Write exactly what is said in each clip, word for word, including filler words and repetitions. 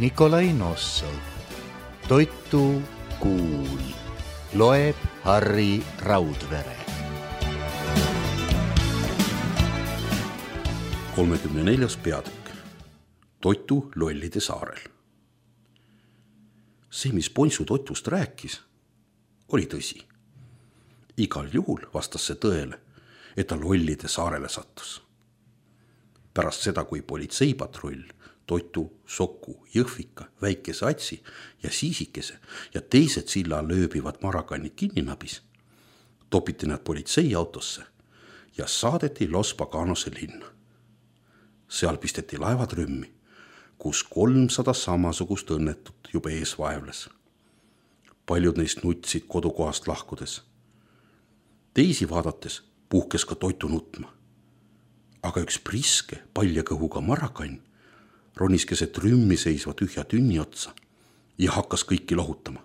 Nikolai Nossov. Toitu kuul. Loeb Harri Raudvere. kolmekümne neljas peatükk. Toitu lollide saarel. See, mis Ponsu Totust rääkis, oli tõsi. Igal juhul vastas see tõele, et ta lollide saarele sattus. Pärast seda, kui politseipatrull Totu, Soku, Jõhvika, Väikese Atsi ja Siisikese ja teised silla lööbivad marakannid kinni nabis, topiti nad politseiautosse ja saadeti Los Paganose linna. Seal pisteti laevad rümmi, kus kolmsada samasugust õnnetut juba ees vaevles. Paljud neist nutsid kodukohast lahkudes. Teisi vaadates puhkes ka Totu nutma. Aga üks priske palja kõhuga marakann ronis keset rümmi seisva tühja tünni otsa ja hakkas kõiki lohutama.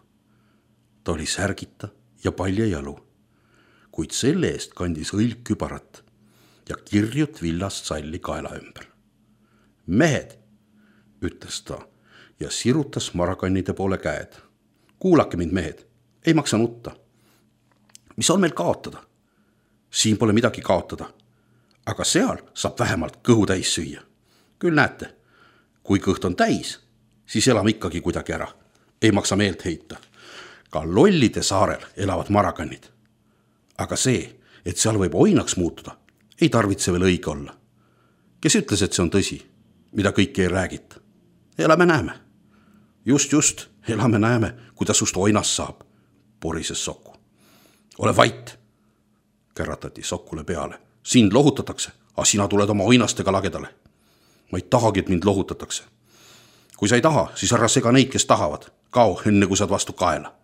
Ta oli särgita ja palja jalu, kuid selle eest kandis õlgkübarat ja kirjut villast salli kaela ümber. Mehed, ütles ta ja sirutas marakannide poole käed. Kuulake mind, mehed, ei maksa nutta. Mis on meil kaotada? Siin pole midagi kaotada, aga seal saab vähemalt kõhu täis süüa. Küll näete, kui kõht on täis, siis elame ikkagi kuidagi ära. Ei maksa meelt heita. Ka lollide saarel elavad marakannid. Aga see, et seal võib oinaks muutuda, ei tarvitse veel õige olla. Kes ütles, et see on tõsi, mida kõike ei räägita? Elame näeme. Just, just, elame näeme, kuidas sust oinas saab, porises Soku. Ole vait, käratati Sokule peale. Sind lohutatakse, aga sina tuled oma oinastega lagedale. Ma ei tahagi, et mind lohutatakse. Kui sa ei taha, siis ära sega neid, kes tahavad. Kao, enne kui saad vastu kaela.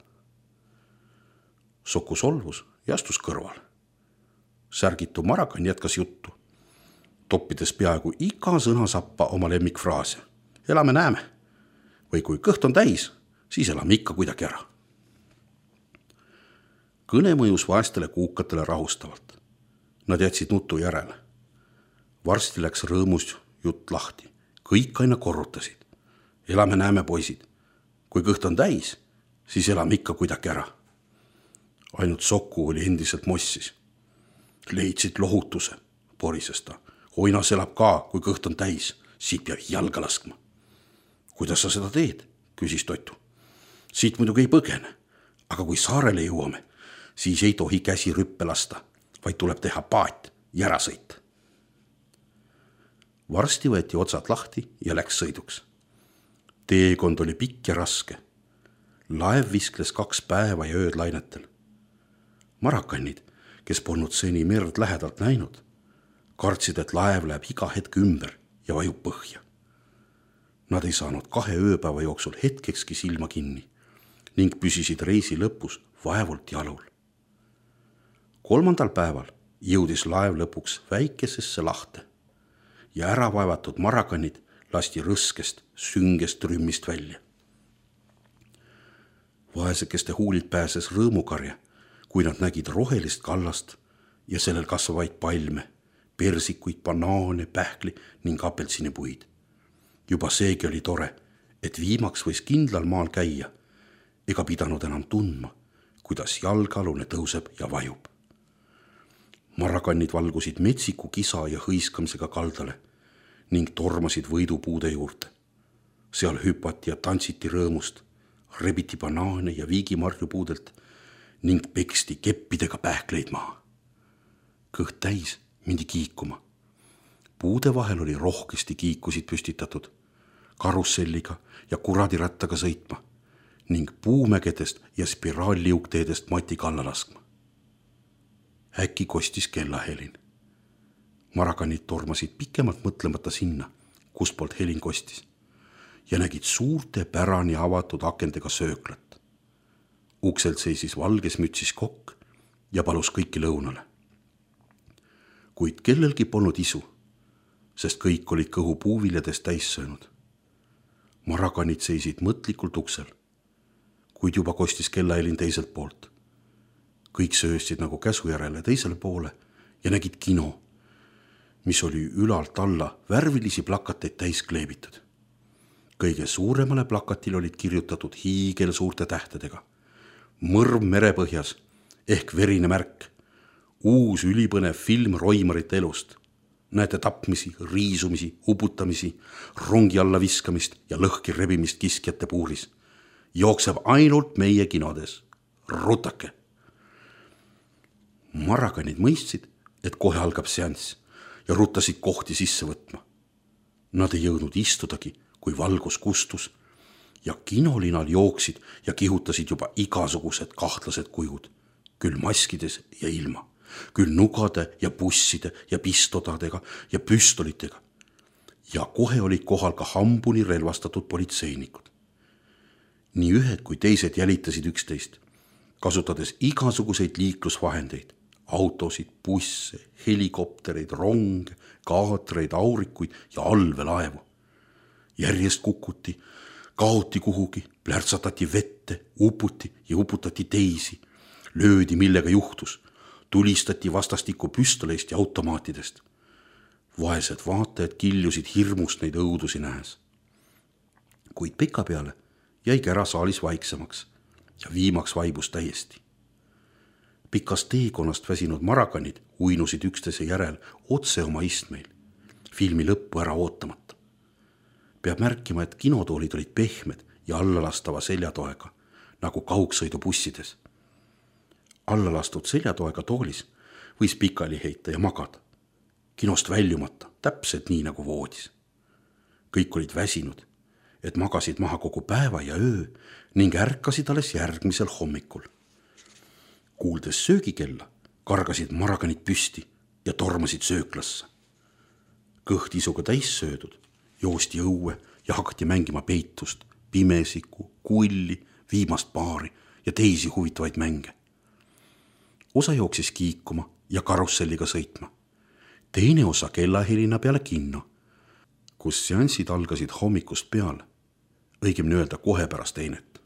Soku solvus ja astus kõrval. Särgitu marakann jätkas juttu, toppides peaaegu iga sõnasappa oma lemmikfraase. Elame näeme. Või kui kõht on täis, siis elame ikka kuidagi ära. Kõne mõjus vaestele kuukatele rahustavalt. Nad jätsid nutu järele. Varsti läks rõõmus jutt lahti. Kõik aina korrutasid. Elame näeme, poisid. Kui kõht on täis, siis elame ikka kuidagi ära. Ainult Soku oli endiselt mossis. Leidsid lohutuse, porises ta. Oinas elab ka, kui kõht on täis. Siit peab jalga laskma. Kuidas sa seda teed? Küsis Totu. Siit muidugi ei põgene. Aga kui saarele jõuame, siis ei tohi käsi rüppe lasta, vaid tuleb teha paat ja ära sõita. Varsti võeti otsad lahti ja läks sõiduks. Teekond oli pikk ja raske. Laev viskles kaks päeva ja ööd lainetel. Marakannid, kes polnud seni merd lähedalt näinud, kartsid, et laev läheb iga hetk ümber ja vajub põhja. Nad ei saanud kahe ööpäeva jooksul hetkekski silma kinni ning püsisid reisi lõpus vaevult jalul. Kolmandal päeval jõudis laev lõpuks väikesesse lahte ja äravaevatud marakannid lasti rõskest, süngest rümmist välja. Vaesekeste huulid pääses rõõmukarja, kui nad nägid rohelist kallast ja sellel kasvavaid palme, persikuid, banaane, pähkli ning apelsinipuid. Juba seegi oli tore, et viimaks võis kindlal maal käia ega pidanud enam tundma, kuidas jalgalune tõuseb ja vajub. Marakannid valgusid metsiku kisa ja hõiskamisega kaldale ning tormasid võidupuude juurde. Seal hüpati ja tantsiti rõõmust, rebiti banaane ja viigimarju puudelt ning peksti keppidega pähkleid maha. Kõht täis mindi kiikuma. Puude vahel oli rohkesti kiikusid püstitatud, karusselliga ja kuradirattaga sõitma ning puumägedest ja spiraalliukteedest mati kalla laskma. Äkki kostis kellahelin. Marakannid tormasid pikemalt mõtlemata sinna, kust poolt helin kostis, ja nägid suurte pärani avatud akendega sööklat. Ukselt seisis valges mütsis kokk ja palus kõiki lõunale. Kuid kellelgi polnud isu, sest kõik olid kõhu puuviljadest täis söönud. Marakannid seisid mõtlikult uksel, kuid juba kostis kellahelin teiselt poolt. Kõik sööstsid nagu käsu järele teisele poole ja nägid kino, mis oli ülalt alla värvilisi plakateid täis kleebitud. kõige suuremale plakatile olid kirjutatud hiigelsuurte tähtedega. Mõrv merepõhjas ehk verine märk. Uus ülipõnev film roimarite elust. Näete tapmisi, riisumisi, uputamisi, rongi alla viskamist ja lõhki rebimist kiskjate puuris. Jookseb ainult meie kinodes. Rutake! Maraganid mõistsid, et kohe algab seanss ja ruttasid kohti sisse võtma. Nad ei jõudnud istudagi, kui valgus kustus ja kinolinal jooksid ja kihutasid juba igasugused kahtlased kujud, küll maskides ja ilma, küll nugade ja busside ja pistodadega ja püstolitega. Ja kohe olid kohal ka hambuni relvastatud politseinikud. Nii ühed kui teised jälitasid üksteist, kasutades igasuguseid liiklusvahendeid, autosid, busse, helikoptereid, ronge, kaatreid, aurikuid ja allveelaevu. Järjest kukuti, kaoti kuhugi, plärtsatati vette, uputi ja uputati teisi, löödi millega juhtus, tulistati vastastikku püstoleist ja automaatidest. Vaesed vaatajad kiljusid hirmust neid õudusi nähes. Kuid pika peale jäi kära saalis vaiksemaks ja viimaks vaibus täiesti. Pikas teekonnast väsinud maraganid uinusid üksteise järel otse oma istmeil, filmi lõppu ära ootamata. Peab märkima, et kinotoolid olid pehmed ja allalastava seljatoega, nagu kaugsõidubussides. Allalastud seljatoega toolis võis pikali heita ja magada, kinost väljumata, täpselt nii nagu voodis. Kõik olid väsinud, et magasid maha kogu päeva ja öö ning ärkasid alles järgmisel hommikul. Kuuldes söögikella, kargasid maraganid püsti ja tormasid sööklasse. Kõht isuga täis söödud, joosti õue ja hakati mängima peitust, pimesiku, kulli, viimast paari ja teisi huvitavaid mänge. Osa jooksis kiikuma ja karusselliga sõitma. Teine osa kellahelina peale kinno, kus seansid algasid hommikust peale, õigemini öelda kohe pärast teinet.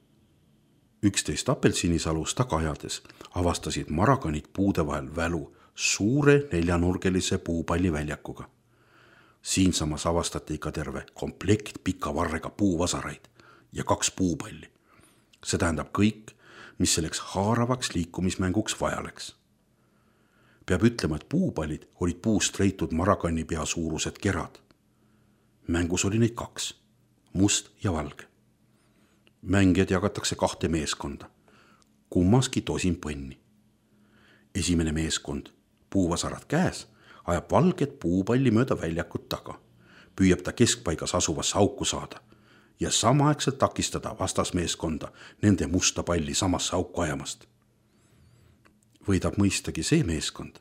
Üksteist apelsinisalus tagajades avastasid maraganid puude vahel välu suure neljanurgelise puupalli väljakuga. Siinsamas avastati ka terve komplekt pika varrega puuvasaraid ja kaks puupalli. See tähendab kõik, mis selleks haaravaks liikumismänguks vajaleks. Peab ütlema, et puupallid olid puust reitud maragani pea suurused kerad. Mängus oli neid kaks, must ja valge. Mängijad jagatakse kahte meeskonda, kummaski tosin põnni. Esimene meeskond, puuvasarad käes, ajab valget puupalli mööda väljakut taga, püüab ta keskpaigas asuvasse auku saada ja samaaegselt takistada vastasmeeskonda nende musta palli samasse auku ajamast. Võidab mõistagi see meeskond,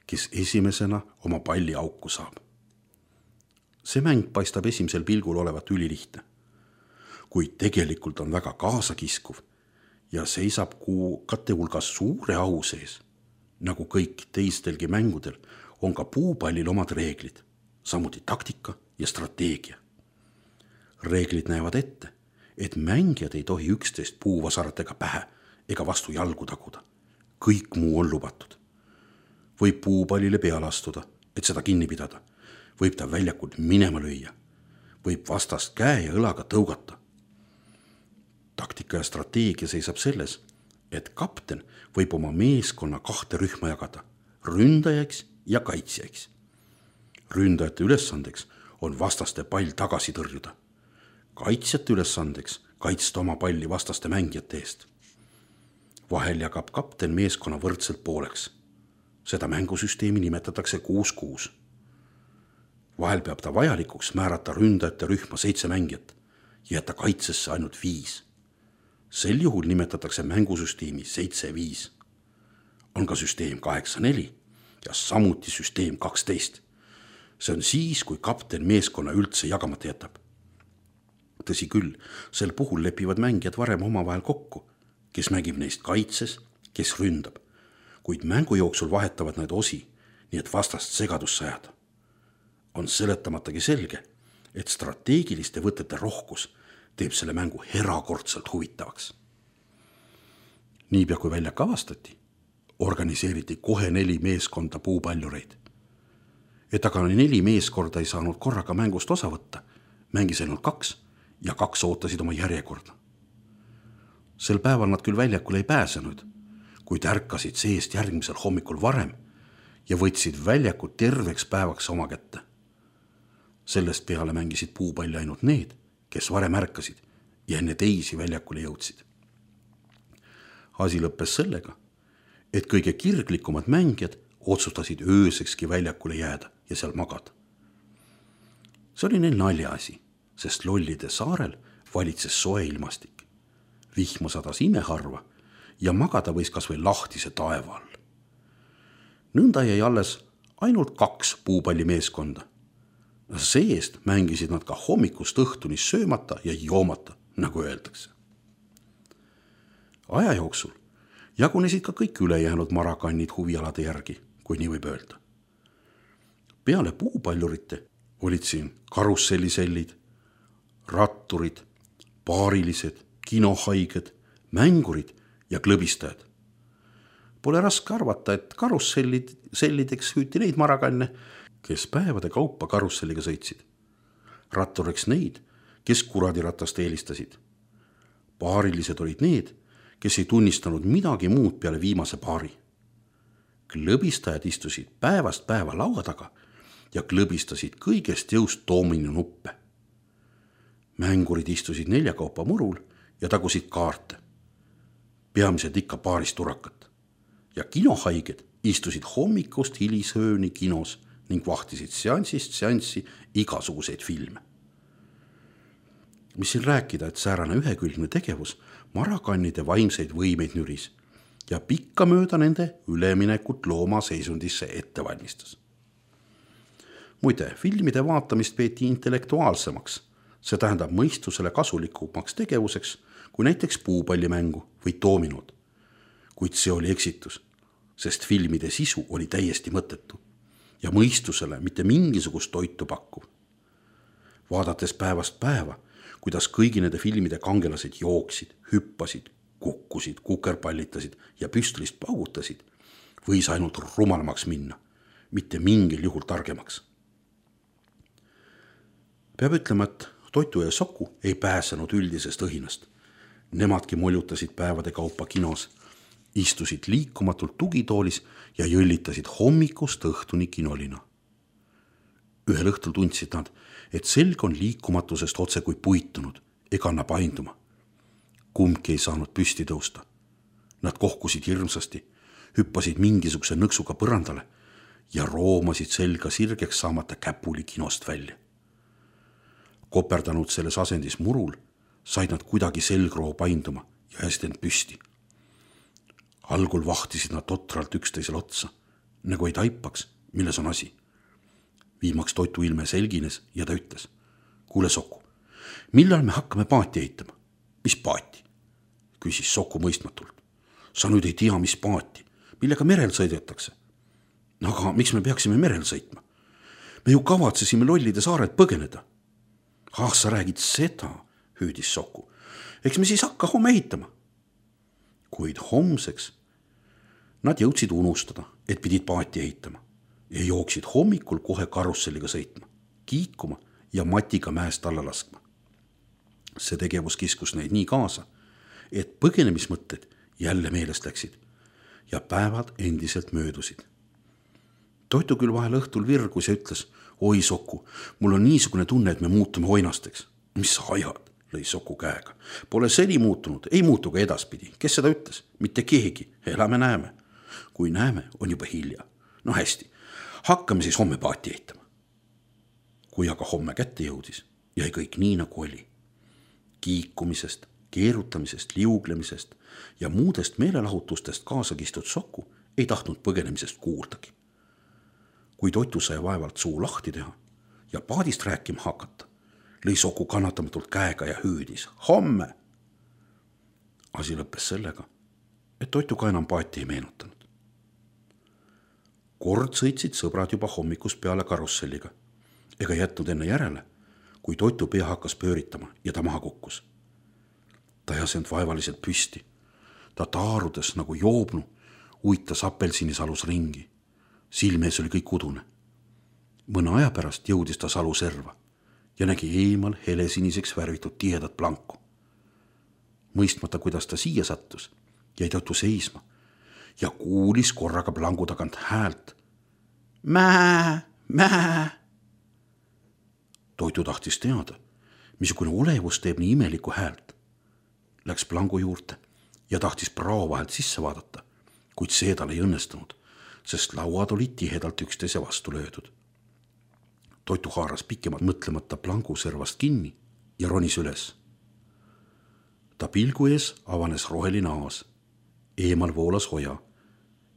kes esimesena oma palli auku saab. See mäng paistab esimesel pilgul olevat ülilihtne, kuid tegelikult on väga kaasakiskuv ja seisab kuukate hulgas suure au sees. Nagu kõik teistelgi mängudel on ka puupallil omad reeglid, samuti taktika ja strateegia. Reeglid näevad ette, et mängijad ei tohi üksteist puuvasaratega pähe ega vastu jalgu taguda. Kõik muu on lubatud. Võib puupallile peale astuda, et seda kinni pidada. Võib ta väljakult minema lüüa. Võib vastast käe ja õlaga tõugata. Taktika ja strateegia seisab selles, et kapten võib oma meeskonna kahte rühma jagada, ründajaks ja kaitsjaks. Ründajate ülesandeks on vastaste pall tagasi tõrjuda. Kaitsjate ülesandeks kaitsta oma palli vastaste mängijate eest. Vahel jagab kapten meeskonna võrdselt pooleks. Seda mängusüsteemi nimetatakse kuus kuus. Vahel peab ta vajalikuks määrata ründajate rühma seitse mängijat ja jätta kaitsesse ainult viis. Sel juhul nimetatakse mängusüsteemi seitse viis. On ka süsteem kaheksa neli ja samuti süsteem kaksteist. See on siis, kui kapten meeskonna üldse jagamata jätab. Tõsi küll, sel puhul lepivad mängijad varem omavahel kokku, kes mängib neist kaitses, kes ründab, kuid mängu jooksul vahetavad need osi, nii et vastast segadusse ajada. On seletamatagi selge, et strateegiliste võtete rohkus teeb selle mängu erakordselt huvitavaks. Niipea kui välja avastati, organiseeriti kohe neli meeskonda puupallureid. Et aga neli meeskorda ei saanud korraga mängust osa võtta, mängis ainult kaks ja kaks ootasid oma järjekorda. Sel päeval nad küll väljakule ei pääsenud, kuid ärkasid seest järgmisel hommikul varem ja võtsid väljakut terveks päevaks oma kätte. Sellest peale mängisid puupalli ainult need, kes varem ärkasid ja enne teisi väljakule jõudsid. Asi lõppes sellega, et kõige kirglikumad mängijad otsustasid öösekski väljakule jääda ja seal magada. See oli neil naljaasi, sest Lollide saarel valitses soe ilmastik. Vihma sadas imeharva ja magada võis kas või lahtise taeva all. Nõnda jäi alles ainult kaks puupallimeeskonda. Seest mängisid nad ka hommikust õhtuni söömata ja joomata, nagu öeldakse. Aja jooksul jagunesid ka kõik ülejäänud marakannid huvialade järgi, kui nii võib öelda. Peale puupaljurite olid siin karussellisellid, ratturid, paarilised, kinohaiged, mängurid ja klõbistajad. Pole raske arvata, et karussellid sellideks hüüti neid marakanne, kes päevade kaupa karusselliga sõitsid. Ratturiks neid, kes kuradiratast eelistasid. Paarilised olid need, kes ei tunnistanud midagi muud peale viimase paari. Klõbistajad istusid päevast päeva laua taga ja klõbistasid kõigest jõust doominu nuppe. Mängurid istusid neljakaupa murul ja tagusid kaarte. Peamiselt ikka paarist turakat. Ja kinohaiged istusid hommikust hilisööni kinos ning vahtisid seansist seanssi igasuguseid filme. Mis siin rääkida, et säärane ühekülgne tegevus marakannide vaimseid võimeid nüris ja pikka mööda nende üleminekut looma seisundisse ette valmistas. Muide, filmide vaatamist peeti intellektuaalsemaks, see tähendab mõistusele kasulikumaks tegevuseks kui näiteks puupallimängu või doominod. Kuid see oli eksitus, sest filmide sisu oli täiesti mõttetu ja mõistusele mitte mingisugust toitu pakkuv. Vaadates päevast päeva, kuidas kõigi nende filmide kangelased jooksid, hüppasid, kukkusid, kukerpallitasid ja püstlist paugutasid, võis ainult rumalamaks minna, mitte mingil juhul targemaks. Peab ütlema, et Toitu ja Soku ei pääsenud üldisest õhinast. Nemadki moljutasid päevade kaupa kinos, istusid liikumatult tugitoolis ja jõllitasid hommikust õhtuni kinolina. Ühel õhtul tundsid nad, et selg on liikumatusest otse kui puitunud ega anna painduma. Kumbki ei saanud püsti tõusta. Nad kohkusid hirmsasti, hüppasid mingisuguse nõksuga põrandale ja roomasid selga sirgeks saamata käpuli kinost välja. Koperdanud selles asendis murul, said nad kuidagi selgroo painduma ja hästi end püsti. Algul vahtisid nad totralt üksteisel otsa, nagu ei taipaks, milles on asi. Viimaks Toitu ilme selgines ja ta ütles: kuule Soku, millal me hakkame paati ehitama? Mis paati? Küsis Soku mõistmatult. Sa nüüd ei tea, mis paati, millega merel sõidetakse. Aga miks me peaksime merel sõitma? Me ju kavatsesime Lollide saarelt põgeneda. Ah, sa räägid seda, hüüdis Soku. Eks me siis hakka homme ehitama. Kuid homseks nad jõudsid unustada, et pidid paati ehitama ja jooksid hommikul kohe karusselliga sõitma, kiikuma ja matiga mäest alla laskma. See tegevus kiskus neid nii kaasa, et põgenemismõtted jälle meelest läksid ja päevad endiselt möödusid. Toitu küll vahel õhtul virgus ja ütles: oi Soku, mul on niisugune tunne, et me muutume oinasteks. Mis sa ajad, lõi Soku käega. Pole seni muutunud, ei muutu ka edaspidi. Kes seda ütles? Mitte keegi, elame näeme. Kui näeme, on juba hilja. No hästi, hakkame siis homme paati ehitama. Kui aga homme kätte jõudis, jäi kõik nii nagu oli. Kiikumisest, keerutamisest, liuglemisest ja muudest meelelahutustest kaasa kistud Soku ei tahtnud põgenemisest kuuldagi. Kui Toitu sai vaevalt suu lahti teha ja paadist rääkima hakata, lõi Soku kannatamatult käega ja hüüdis: homme! Asi lõppes sellega, et Toitu ka enam paati ei meenutanud. Kord sõitsid sõbrad juba hommikust peale karusselliga ega jätnud enne järele, kui Toitu pea hakkas pööritama ja ta maha kukkus. Ta ei asend vaevaliselt püsti. Ta taarudes nagu joobnu, uitas apelsinisalus ringi. Silmees oli kõik udune. Mõne aja pärast jõudis ta salu serva ja nägi eemal helesiniseks värvitud tihedat planku. Mõistmata, kuidas ta siia sattus, jäi Toitu seisma ja kuulis korraga plangu tagant häält. Mää, mää. Toitu tahtis teada, missugune olevus teeb nii imelikku häält. Läks plangu juurde ja tahtis prao vahelt sisse vaadata, kuid see tal ei õnnestunud, sest lauad olid tihedalt üksteise vastu löödud. Toitu haaras pikemalt mõtlemata plangu servast kinni ja ronis üles. Ta pilgu ees avanes roheline aas, eemal voolas hoja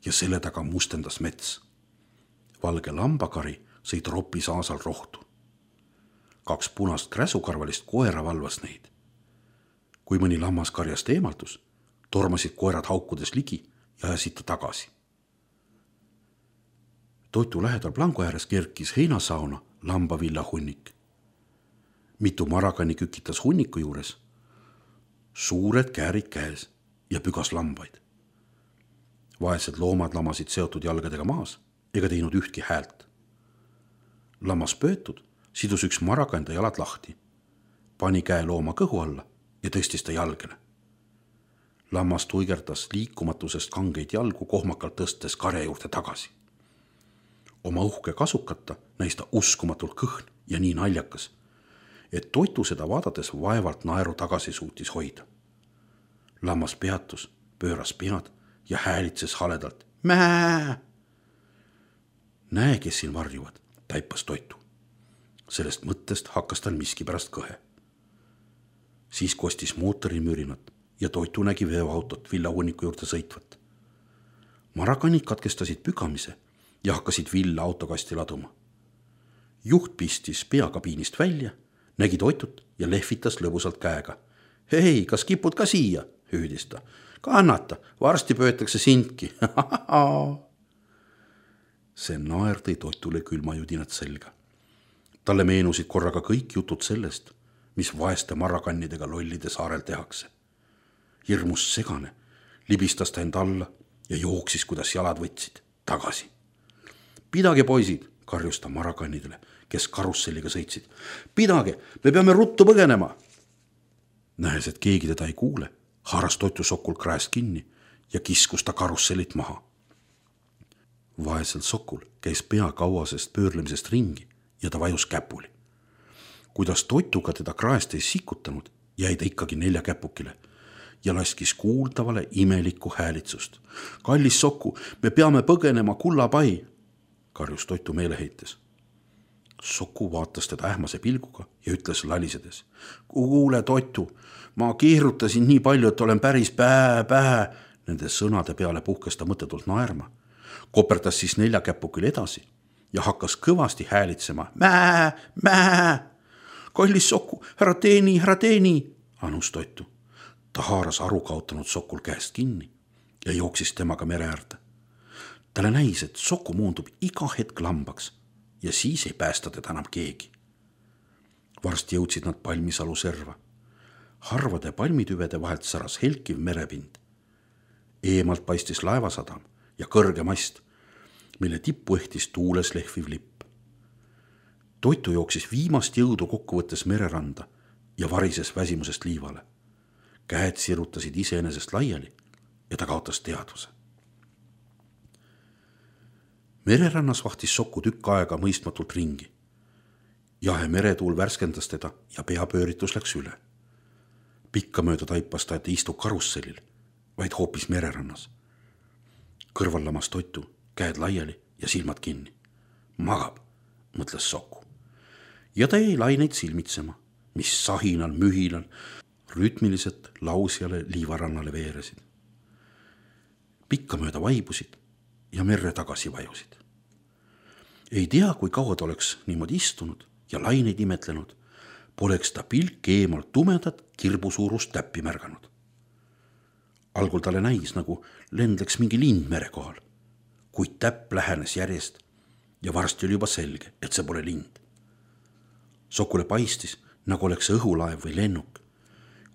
ja selle taga mustendas mets. Valge lambakari sõi tropis aasal rohtu. Kaks punast kräsukarvalist koera valvas neid. Kui mõni lammas karjast eemaldus, tormasid koerad haukudes ligi ja ajasid ta tagasi. Toitu lähedal plangu ääres kerkis heinasauna lambavilla hunnik. Mitu marakanni kükitas hunniku juures, suured käärid käes ja pügas lambaid. Vaesed loomad lamasid seotud jalgadega maas ega teinud ühtki häält. Lammas pöötud sidus üks marakanda jalad lahti, pani käe looma kõhu alla ja tõstis ta jalgele. Lammas tuigerdas liikumatusest kangeid jalgu kohmakalt tõstes karja juurde tagasi. Oma uhke kasukata näis ta uskumatult kõhn ja nii naljakas, et Toitu seda vaadates vaevalt naeru tagasi suutis hoida. Lammas peatus, pööras pead ja häälitses haledalt. Mää! Näe, kes siin varjuvad, taipas Toitu. Sellest mõttest hakkas tal miski pärast kõhe. Siis kostis mootori mürinat ja Toitu nägi veoautot villahunniku juurde sõitvat. Marakanid katkestasid pügamise ja hakkasid villa autokasti laduma. Juht pistis peakabiinist välja, nägi Toitut ja lehvitas lõbusalt käega. Hei, kas kipud ka siia? Hüüdis ta. Kannata, varsti pöötakse sindki. See naer tõi Toitule külmajudinat selga. Talle meenusid korraga kõik jutud sellest, mis vaeste marakannidega lollide saarel tehakse. Hirmus segane, libistas ta end alla ja jooksis, kuidas jalad võtsid, tagasi. Pidage, poisid, karjus ta marakannidele, kes karusselliga sõitsid. Pidage, me peame ruttu põgenema. Nähes, et keegi teda ei kuule, haaras Toitu Sokul kraest kinni ja kiskus ta karussellit maha. Vaesel Sokul käis pea kauasest pöörlemisest ringi ja ta vajus käpuli. Kuidas Toituga teda kraest ei sikutanud, jäi ta ikkagi nelja käpukile ja laskis kuuldavale imelikku häälitsust. Kallis Soku, me peame põgenema kullapai, karjus Toitu meeleheites. Soku vaatas teda ähmase pilguga ja ütles lalisedes. Kuule, Toitu, ma keerutasin nii palju, et olen päris pää, pää. Nende sõnade peale puhkes ta mõttetult naerma. Koperdas siis nelja käpukil edasi ja hakkas kõvasti häälitsema. Mää, mää. Kallis Soku, härra teeni, härra teeni, anus Toitu. Ta haaras aru kaotanud Sokul käest kinni ja jooksis temaga mere äärde. Talle näis, et Soku muundub iga hetk lambaks ja siis ei päästa teda enam keegi. Varsti jõudsid nad palmisalu serva. Harvade palmitüvede vahelt säras helkiv merepind. Eemalt paistis laevasadam ja kõrge mast, mille tippu ehtis tuules lehviv lipp. Toitu jooksis viimast jõudu kokkuvõttes mereranda ja varises väsimusest liivale. Käed sirutasid iseenesest laiali ja ta kaotas teadvuse. Mererannas vahtis Soku tükk aega mõistmatult ringi. Jahe meretuul värskendas teda ja peapööritus läks üle. Pikka mööda taipas ta, et ei istu karussellil, vaid hoopis mererannas. Kõrval lamas Toitu, käed laiali ja silmad kinni. Magab, mõtles Soku. Ja ta jäi laineid silmitsema, mis sahinal, mühinal, rütmiliselt lausjale liivarannale veeresid. Pikka mööda vaibusid ja merre tagasi vajusid. Ei tea, kui kaua ta oleks niimoodi istunud ja laineid imetlenud, poleks ta pilk eemalt tumedat kirbusuurust täppi märganud. Algul talle näis, nagu lendleks mingi lind mere kohal, kuid täpp lähenes järjest ja varsti oli juba selge, et see pole lind. Sokule paistis, nagu oleks õhulaev või lennuk,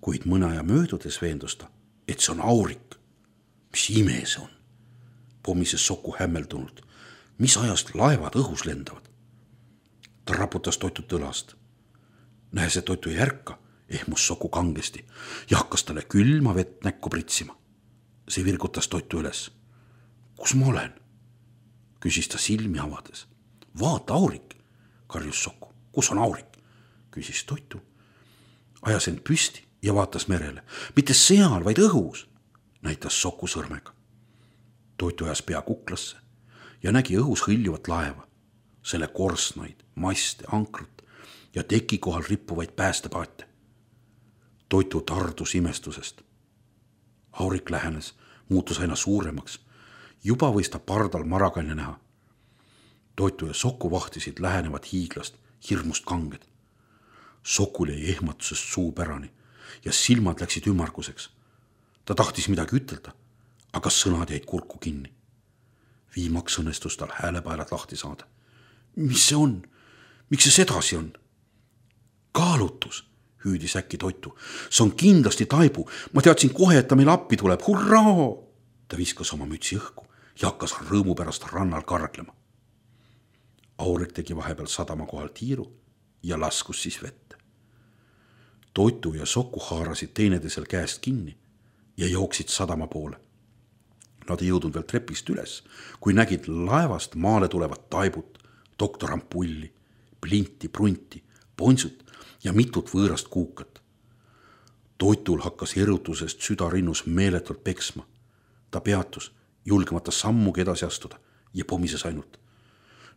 kuid mõne aja möödudes veendus ta, et see on aurik. Mis ime see on? Pommises Soku hämmeldunult. Mis ajast laevad õhus lendavad? Ta raputas Toitut õlast. nähes, et Toitu ei ärka, ehmus Soku kangesti ja hakkas talle külma vett näkku pritsima. See virgutas Toitu üles. Kus ma olen? Küsis ta silmi avades. Vaata, aurik, karjus Soku. Kus on aurik? Küsis Toitu. Ajas end püsti ja vaatas merele. Mitte seal, vaid õhus, näitas Soku sõrmega. Toitu ajas pea kuklasse ja nägi õhus hõljuvat laeva, selle korsnaid, maste, ankrut ja teki kohal rippuvaid päästepaate. Toitu tardus imestusest. Aurik lähenes, muutus aina suuremaks. Juba võis ta pardal marakanne näha. Toitu ja Soku vahtisid lähenevat hiiglast, hirmust kanged. Sokul jäi ehmatusest suu pärani ja silmad läksid ümmarguseks. Ta tahtis midagi ütelda, aga sõnad jäid kurku kinni. Viimaks õnnestus tal häälepaelad lahti saada. Mis see on? Miks see sedasi on? Kaalutus, hüüdis äkki Toitu. See on kindlasti Taibu. Ma teadsin kohe, et ta meil appi tuleb. Hurraa! Ta viskas oma mütsi õhku ja hakkas rõõmu pärast rannal karglema. Aurik tegi vahepeal sadama kohal tiiru ja laskus siis vette. Toitu ja Soku haarasid teineteisel käest kinni ja jooksid sadama poole. Nad ei jõudnud veel trepist üles, kui nägid laevast maale tulevat Taibut, doktor Ampulli, Plinti, Prunti, Ponsut ja mitut võõrast kuukat. Toitul hakkas erutusest südarinnus meeletult peksma. Ta peatus, julgemata sammugi edasi astuda ja pomises ainult.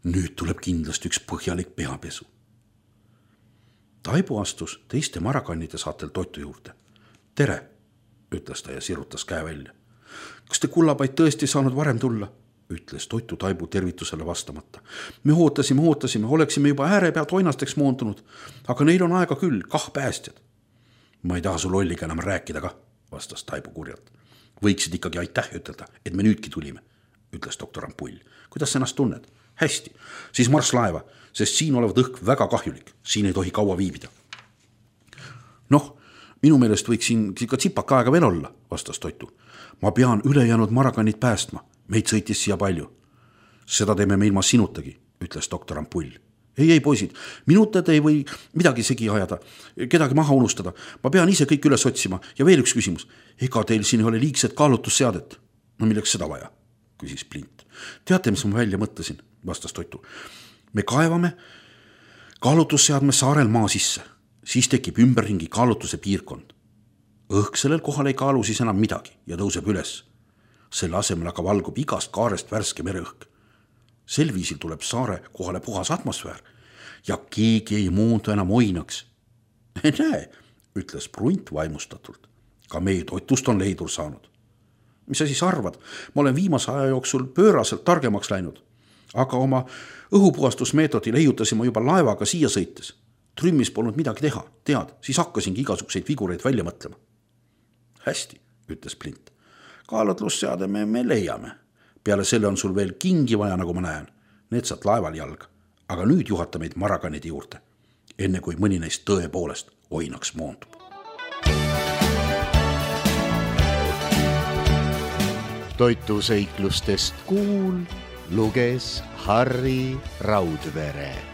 Nüüd tuleb kindlasti üks põhjalik peapesu. Taibu astus teiste marakannide saatel Toitu juurde. Tere, ütles ta ja sirutas käe välja. Kas te kullapaid tõesti saanud varem tulla? Ütles Toitu Taibu tervitusele vastamata. Me ootasime, ootasime, oleksime juba ääre pealt oinasteks moondunud, aga neil on aega küll, kah päästjad. Ma ei taha su lolliga enam rääkida ka, vastas Taibu kurjalt. Võiksid ikkagi aitäh ütelda, et me nüüdki tulime, ütles doktor Ampull. Kuidas sa ennast tunned? Hästi, siis marss laeva, sest siin olevat õhk väga kahjulik, siin ei tohi kaua viibida. Noh, minu meelest võiks siin ka tsipaka aega veel olla, vastas Toitu. Ma pean ülejäänud marakannid päästma, meid sõitis siia palju. Seda teeme me ilma sinutagi, ütles doktor Ampull. Ei, ei poisid, minutad ei või midagi segi ajada, kedagi maha unustada. Ma pean ise kõik üles otsima ja veel üks küsimus. Ega teil siin ei ole liigset kaalutusseadet? No milleks seda vaja, küsis Plint. Teate, mis ma välja mõtlesin, vastas Toitu. Me kaevame kaalutusseadme saarel maa sisse, siis tekib ümberringi kaalutuse piirkond. Õhk sellel kohal ei kaalu siis enam midagi ja tõuseb üles. Selle asemel aga valgub igast kaarest värske mereõhk. Sel viisil tuleb saare kohale puhas atmosfäär ja keegi ei muundu enam oinaks. Näe, ütles Prunt vaimustatult. Ka meie Toitust on leidur saanud. Mis sa siis arvad? Ma olen viimase aja jooksul pööraselt targemaks läinud, aga oma õhupuhastusmeetodil leiutasime juba laevaga siia sõites. Trümmis polnud midagi teha, tead, siis hakkasingi igasuguseid vigureid välja mõtlema. Hästi, ütles Plint. Kaalutlusseade me, me leiame. Peale selle on sul veel kingi vaja, nagu ma näen. Need saad laeval jalga. Aga nüüd juhata meid marakanide juurde, enne kui mõni neist tõepoolest oinaks moondub. Toitu seiklustest kuul luges Harri Raudvere.